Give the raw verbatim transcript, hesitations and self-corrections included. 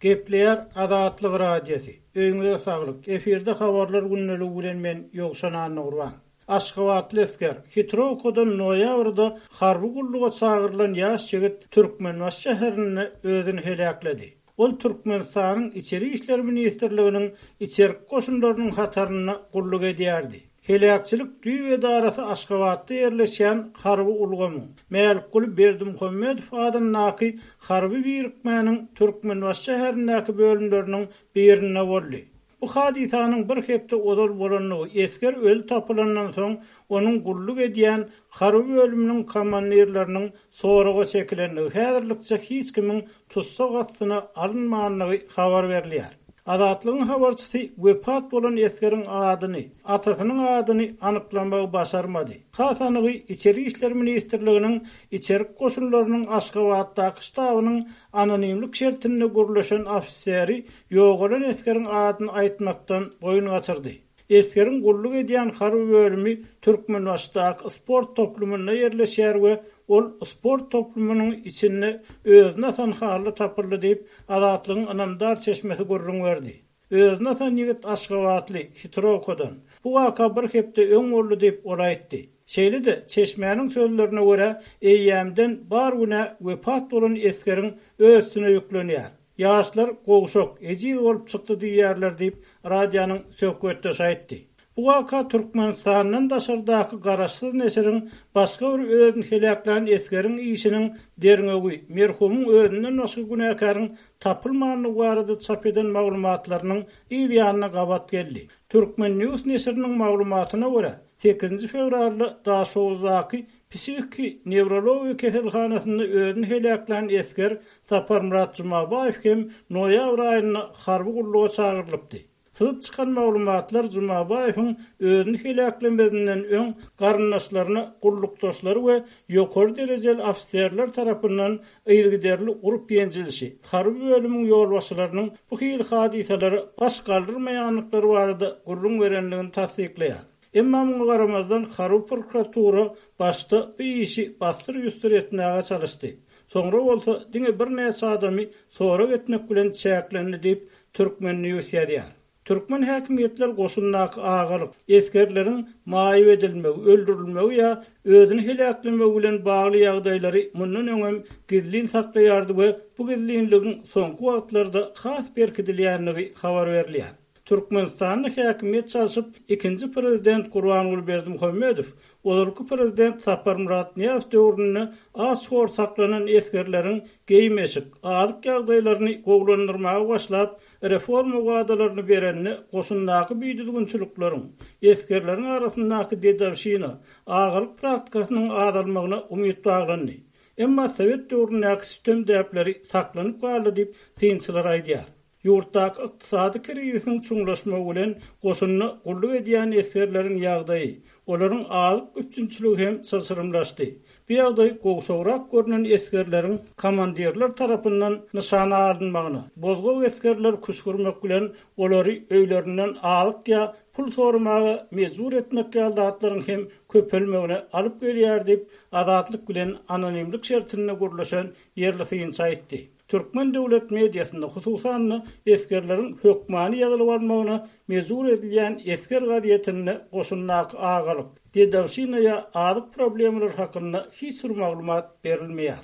Gepleýär Azatlyk Radiosy. Öýüňize saglyk. Efirde habarlar gündeligi bilen men Ýowşan Annagurban. Aşgabatly esger Hitrowkadan noýabrda harby gulluga çagyrylan ýaş ýigit Türkmenbaşy şäherinde özüni heläkledi. Ol Türkmenistanyň Içeri işler ministrliginiň içerki goşunlarynyň hatarynda gulluk edýärdi. Heläkçilik düýp edarasy Aşgabatda ýerleşýän harby ulgamyň Mälikguly Berdimuhamedow adyndaky harby birikmäniň Türkmenbaşy şäherindäki bölümleriniň birinde boldy. Bu hadysanyň bir hepde ozal bolandygy, esger öli tapylandan soň onuň gulluk edýän harby bölüminiň komandirleriniň soraga çekilendigi, häzirlikçe hiç kimiň tussag astyna alynmandygy habar berilýär. Azatlygyň habarçysy wepat bolan esgeriň adyny, atasynyň adyny anyklamagy başarmady. Has anygy Içeri işler ministrliginiň içerki goşunlarynyň Aşgabatdaky ştabynyň anonimlik şertinde gürleşen ofiseri ýogalan esgeriň adyny aýtmakdan boýun gaçyrdy. Esgeriň gulluk edýän harby bölümi Türkmenbaşydaky sport toplumynda ýerleşýär we ol sport toplumynyň içinde özüne asan hally tapyldy diýip, Azatlygyň ynamdar çeşmesi gürrüň berdi. Özüne asan ýigit Aşgabatly Hitrowkadan. Bu waka bir hepde öň boldy diýip ol aýtdy. Şeýle-de çeşmäniň sözlerine görä, eýýämden bar günä wepat bolan esgeriň öz üstüne ýüklenýär. Ýaşlar gowşak, ejiz bolup çykdy diýýärler diýip, radionyň söhbetdeşi aýtdy. Bu waka Türkmenistandan daşardaky garaşsyz neşiriň başga bir özüni heläklän esgeriň işiniň derňewi, merhumyň özünden başga günäkäriň tapylmandygy barada çap eden maglumatlarynyň yz ýanyna gabat geldi. Türkmen News neşiriniň maglumatyna görä, sekizinji fewralda Daşoguzdaky psihiki newrologiýa keselhanasynda özüni heläklän esger Saparmyrat Jumabaýew hem noýabr aýynda harby gulluga çagyrylypdy. Syzyp çykan maglumatlar Jumabaýewiň özüni heläklemezinden öň garyndaşlaryna, gullukdaşlary we ýokary derejeli ofiserler tarapyndan yzygiderli urup ýenjilişi, harby bölümiň ýolbaşçylarynyň bu hili hadysalary baş galdyrmaýandyklary barada gürrüň berendigini tassyklaýar. Emma muňa garamazdan harby prokuratura başda bu işi bassyr-ýüsdür etmäge çalyşdy. Soňra bolsa diňe birnäçe adamy sorag etmek bilen çäklendi diýip Türkmen News ýazýar. Türkmen häkimiýetler goşundaky agalyk, esgerleriň maýyp edilmegi, öldürilmegi ýa özüni heläklemegi bilen bagly ýagdaýlary mundan öňem gizlin saklaýardy we bu gizlinligiň soňky wagtlarda has berkidilýändigi habar berilýär. Türkmenistanda häkimiýet çalşyp, ikinji prezident Gurbanguly Berdimuhamedow, ozalky prezident Saparmyrat Nyýazow döwründe aç-hor saklanan esgerleriň geýim-eşik, azyk ýagdaýlaryny gowulandyrmaga başlap, reforma wadalaryny berende goşundaky büýdüzgünçilikleriň, esgerleriň arasyndaky dedowşina, agalyk praktikasynyň azalmagyna umyt baglandy. Emma Sowet döwründäki sütem däpleri saklanyp galdy diýip synçylar aýdýar. Ýurtdaky ykdysady krizisiň çuňlaşmagy bilen goşunda gulluk edýän esgerleriň ýagdaýy, olaryň azyk üpjünçiligi hem çylşyrymlaşdy. Bu ýagdaý gowşagrak görünen esgerleriň komandirler tarapyndan nyşana alynmagyna, bozgak esgerler küşgürmek bilen olary öýlerinden azyk ýa pul soramaga mejbur etmek ýaly zatlaryň hem köpelmegine alyp gelýär diýip, Azatlyk bilen anonimlik şertinde gürleşen ýerli synçy aýtdy. Türkmen döwlet mediasynda hususan-da esgerleriň hökmany ýazylyp almagyna mejbur edilýän esger gazetinde goşundaky agalyk, dedowşina ýa azyk problemalary hakynda hiç bir maglumat berilmeýär.